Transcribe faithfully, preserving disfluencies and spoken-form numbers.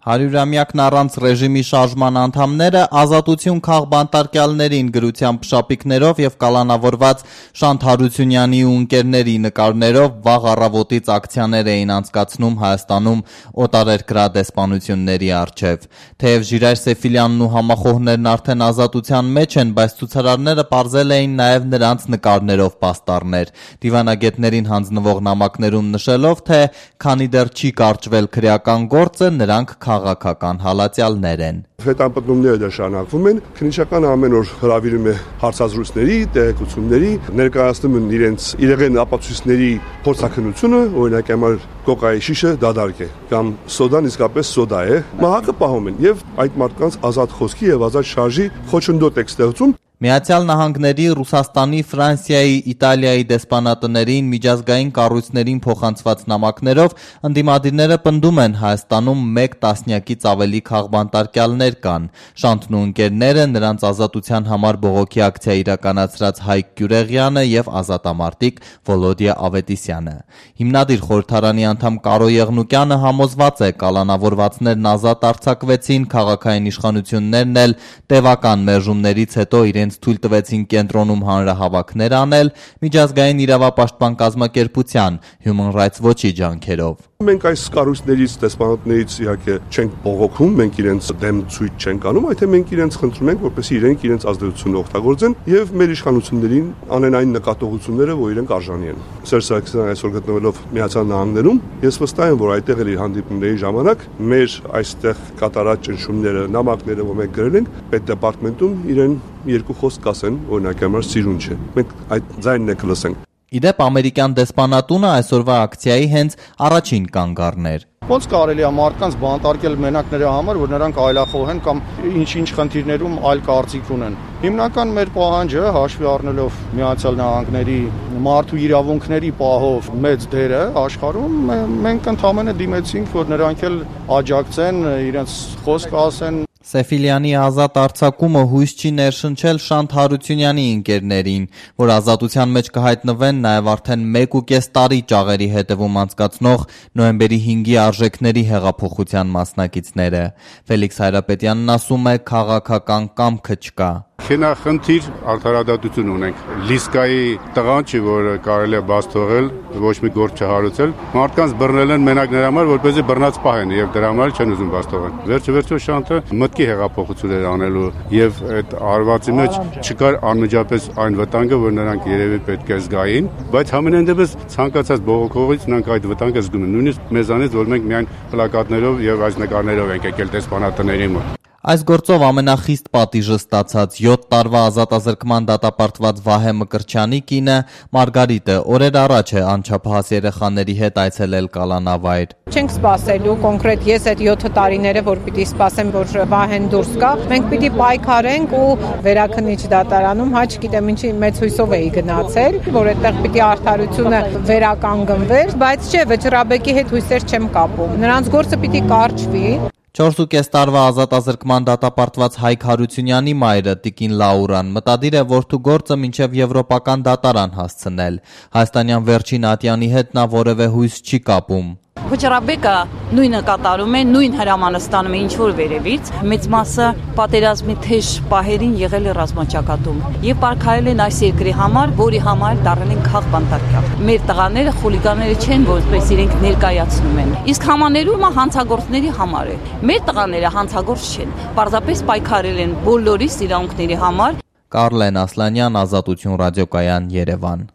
Հարյուրամյակն առանց ռեժիմի շարժման անդամները ազատություն քաղ բանտարկյալներին գրությամբ շապիկներով եւ կալանավորված Շանթ Հարությունյանի ու ընկերների նկարներով վաղ առավոտից ակցիաներ էին անցկացնում Հայաստանում օտարերկրյա դեսպանությունների առջև։ Թեև Ժիրայր Սեֆիլյանն ու համախոհներն արդեն ազատության մեջ են, բայց ցուցարարները պարզել էին նաեւ նրանց նկարներով պաստառներ, դիվանագետներին հանձնվող նամակներում նշելով, թե քանի դեռ չի կարճվել քրեական գործը, նրանք քաղաքական հալածյալներ են։ Հետապնդումները դեռ շարունակվում են, քննիչական ամեն օր հրավիրում է հարցազրույցների, տեղեկությունների, ներկայացնում են իրենց իրեղեն ապացույցների փորձաքննությունը, օրինակ համար կոկայի շիշը դադարք է, կամ սոդան իսկապես սոդա է, մահակը պահում են եւ այդ մարդկանց ազատ խոսքի եւ ազատ շարժի խոչընդոտ է ստեղծում։ Միացյալ Նահանգների, Ռուսաստանի, Ֆրանսիայի, Իտալիայի դեսպանատներին, միջազգային կառույցներին փոխանցված նամակներով ընդդիմադիրները պնդում են Հայաստանում մեկ տասնյակից ավելի քաղբանտարկյալներ կան։ Շանթն ու ընկերները, նրանց ազատության համար բողոքի ակցիա իրականացրած Հայկ Գյուրեղյանը եւ ազատամարտիկ Վոլոդիա Ավետիսյանը։ Հիմնադիր խորհրդարանի անդամ Կարո Եղնուկյանը համոզված է, կալանավորվածներն ազատ արձակվեցին, քաղաքային իշխանություններն էլ տևական մերժումներից հետո իրենց թույլ տվեցին կենտրոնում հանրահավաքներ անել միջազգային իրավապաշտպան կազմակերպության Human Rights Watch-ի ջանքերով։ Մենք այս կառույցներից, դեսպանատներից իհարկե չենք բողոքում, մենք իրենց դեմ ցույց չենք անում, այլ թե մենք իրենց խնդրում ենք, որպեսզի իրենք իրենց ազդեցությունը օգտագործեն եւ մեր իշխանություններին անեն այն նկատողությունները, որ իրենք արժանի են։ Սերժ Սարգսյանը այսօր գտնվելով Միացյալ Նահանգներում, ես վստահ եմ, որ այդտեղ իր հանդիպումների ժամանակ մեր այստեղ կատարած ճնշումները, նամակները, որ մենք գրել ենք, պետդեպարտամենտում իրեն երկու խոսք կասեն, օրինակ համար սիրուն չէ։ Մենք այդ ձայնն եք լսենք։ Իդեպ ամերիկյան դեսպանատունը այսօրվա ակցիայի հենց առաջին կանգ առներ։ Ոնց կարելի է մարդկանց բանտարկել մենակ նրա համար, որ նրանք այլախոհ են կամ ինչ-ինչ խնդիրներում այլ կարծիք ունեն։ Հիմնական մեր պահանջը հաշվի առնելով Միացյալ Նահանգների մարդու իրավունքների պահով մեծ դերը աշխարհում, մենք ընդհանրապես դիմեցինք, որ նրանք էլ աջակցեն, իրենց խոսք ասեն։ Սեֆիլյանի ազատ արձակումը հույս չի ներշնչել Շանթ Հարությունյանի ընկերներին, որ ազատության մեջ կհայտնվեն նաև արդեն մեկ ու կես տարի ճաղերի հետևում անցկացնող նոյեմբերի հինգի արժեքների հեղափոխության մասնակիցները։ Ֆելիքս Հայրապետյանն ասում է, քաղաքական կամքը չկա։ Խենախնդիր արդարադատություն ունենք։ Լիսկայի տղան չի, որ կարելի է բաց թողել, ոչ մի գործ չհարուցել։ Մարդկանց բռնել են մենակ նրա համար, որպեսզի բռնած պահեն եւ դրա համար չեն ուզում բաց թողել։ Վերջը վերջո Շանթը մտքի հեղափոխություն էր անելու եւ այդ արվածի մեջ չկար անմիջապես այն վտանգը, որ նրանք երևի պետք է զգային, բայց համենայն դեպս ցանկացած բողոքողից նրանք այդ վտանգը զգում են։ Նույնիսկ մեզանից, որ մենք միայն պլակատներով եւ այս նկարներով ենք եկել դեսպանատների մոտ։ Այս գործով ամենախիստ պատիժը ստացած յոթ տարվա ազատազրկման դատապարտված Վահե Մկրտչյանի կինը Մարգարիտը օրեր առաջ է անչափահաս երեխաների հետ այցելել կալանավայր։ Չենք սպասելու կոնկրետ ես այդ յոթ տարիները, որ պիտի սպասեմ, որ Վահեն դուրս գա, մենք պիտի պայքարենք ու վերաքննիչ դատարանում, հա չգիտեմ ինչի մեծ հույսով էի գնացել, որ այդտեղ պիտի արդարությունը վերականգնվեր, բայց չէ, Վճռաբեկի հետ հույսեր չեմ կապում։ Նրանց գործը պիտի կարճվի։ Չորս ու կես տարվա ազատազրկման դատապարտված Հայկ Հարությունյանի մայրը Տիկին Լաուրան մտադիր է որդու գործը մինչև եվրոպական դատարան հասցնել։ Հայաստանյան վերջին ատյանի հետ նա որևէ հույս չի կապում։ Վճռաբեկը նույնը կատարում է, նույն հրամանը ստանում է ինչ-որ վերևից, մեծ մասը պատերազմի թեժ պահերին եղել է ռազմաճակատում եւ պարգարել են այս երկրի համար, որի համար դառել են քաղբանտարկյալ։ Մեր տղաները խուլիգանները չեն, որպես իրենք ներկայացնում են։ Իսկ համաներումը հանցագործների համար է։ Մեր տղաները հանցագործ չեն, պարզապես պայքարել են բոլորի իրավունքների համար։ Կարլեն Ասլանյան, Ազատություն ռադիոկայան, Երևան։